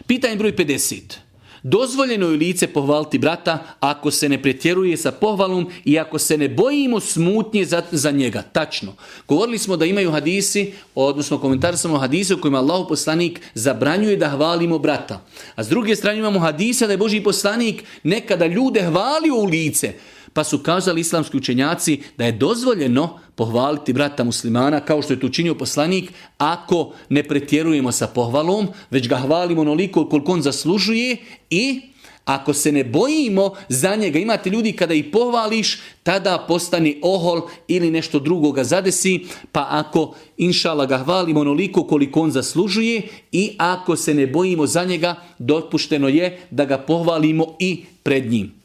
Pitanje broj 50. Dozvoljeno je lice pohvaliti brata ako se ne pretjeruje sa pohvalom i ako se ne bojimo smutnje za njega. Tačno. Govorili smo da imaju hadisi, odnosno komentari samo hadise u kojima Allahov poslanik zabranjuje da hvalimo brata. A s druge strane imamo hadise da je Božji poslanik nekada ljude hvalio u lice. Pa su kazali islamski učenjaci da je dozvoljeno pohvaliti brata muslimana kao što je to učinio poslanik ako ne pretjerujemo sa pohvalom, već ga hvalimo onoliko koliko on zaslužuje i ako se ne bojimo za njega. Imate ljudi kada ih pohvališ, tada postane ohol ili nešto drugo ga zadesi, pa ako inšala ga hvalimo onoliko koliko on zaslužuje i ako se ne bojimo za njega, dopušteno je da ga pohvalimo i pred njim.